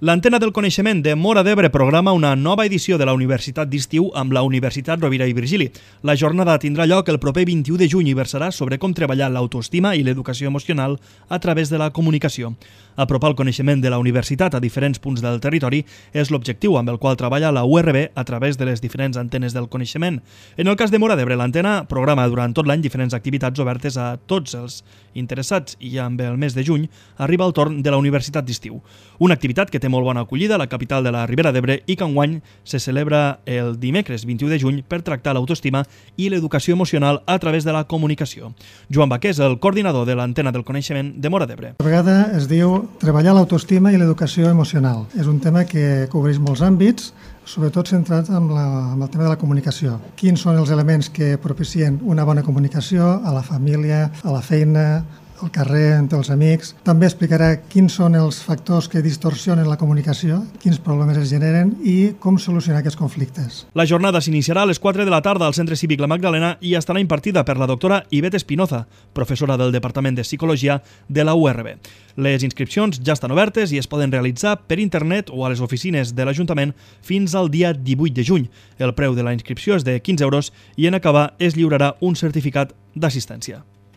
L'Antena del Coneixement de Móra d'Ebre programa una nova edició de la Universitat d'Estiu amb la Universitat Rovira i Virgili. La jornada tindrà lloc el proper 21 de juny i versarà sobre com treballar l'autoestima i l'educació emocional a través de la comunicació. Apropar el coneixement de la universitat a diferents punts del territori és l'objectiu amb el qual treballa la URB a través de les diferents antenes del coneixement. En el cas de Móra d'Ebre, l'antena programa durant tot l'any diferents activitats obertes a tots els interessats i amb el mes de juny arriba el torn de la Universitat d'Estiu. Una activitat que té molt bona acollida a la capital de la Ribera d'Ebre i que enguany se celebra el dimecres 21 de juny per tractar l'autoestima i l'educació emocional a través de la comunicació. Joan Baquer és el coordinador de l'Antena del Coneixement de Móra d'Ebre. A vegada es diu treballar l'autoestima i l'educació emocional. És un tema que cobreix molts àmbits, sobretot centrat amb el tema de la comunicació. Quins són els elements que propicien una bona comunicació a la família, a la feina, al carrer, entre els amics. També explicarà quins són els factors que distorsionen la comunicació, quins problemes es generen i com solucionar aquests conflictes. La jornada s'iniciarà a les 4 de la tarda al Centre Cívic La Magdalena i estarà impartida per la doctora Ivette Espinoza, professora del Departament de Psicologia de la URB. Les inscripcions ja estan obertes i es poden realitzar per internet o a les oficines de l'Ajuntament fins al dia 18 de juny. El preu de la inscripció és de 15 € i en acabar es lliurarà un certificat d'assistència.